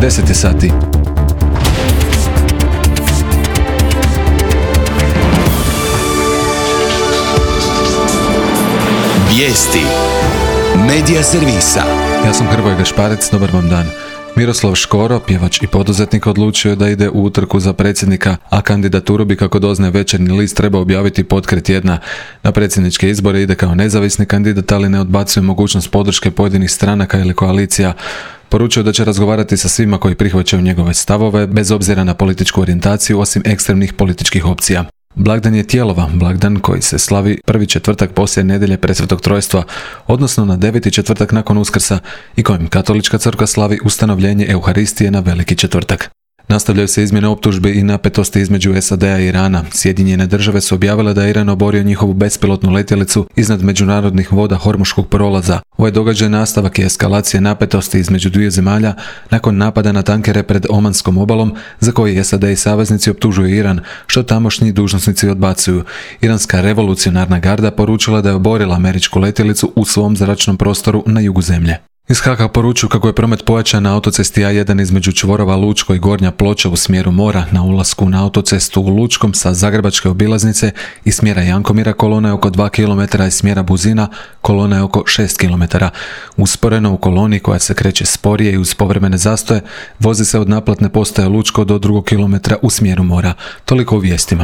10 je sati. Vijesti Medija servisa. Ja sam Hrvoje Gašparec, dobar vam dan. Miroslav Škoro, pjevač i poduzetnik, odlučio da ide u utrku za predsjednika, a kandidaturu bi, kako doznaje Večernji list, trebao objaviti potkraj tjedna. Na predsjedničke izbore ide kao nezavisni kandidat, ali ne odbacuje mogućnost podrške pojedinih stranaka ili koalicija. Poručio da će razgovarati sa svima koji prihvaćaju njegove stavove, bez obzira na političku orijentaciju, osim ekstremnih političkih opcija. Blagdan je Tijelova, blagdan koji se slavi prvi četvrtak poslije nedjelje Presvetog Trojstva, odnosno na 9. četvrtak nakon Uskrsa, i kojim Katolička crkva slavi ustanovljenje Euharistije na Veliki četvrtak. Nastavljaju se izmjene optužbi i napetosti između SAD-a i Irana. Sjedinjene države su objavile da je Iran oborio njihovu bespilotnu letjelicu iznad međunarodnih voda Hormuškog prolaza. Ovaj događaj nastavak je eskalacije napetosti između dviju zemalja nakon napada na tankere pred Omanskom obalom, za koji SAD i saveznici optužuju Iran, što tamošnji dužnosnici odbacuju. Iranska revolucionarna garda poručila da je oborila američku letjelicu u svom zračnom prostoru na jugu zemlje. Iz Haga poručuju kako je promet pojačan na autocesti A1 između čvorova Lučko i Gornja Ploča u smjeru mora. Na ulasku na autocestu u Lučkom sa Zagrebačke obilaznice i smjera Jankomira kolona je oko 2 km, i smjera Buzina kolona je oko 6 km. Usporeno u koloni, koja se kreće sporije i uz povremene zastoje, vozi se od naplatne postaje Lučko do 2 km u smjeru mora. Toliko u vijestima.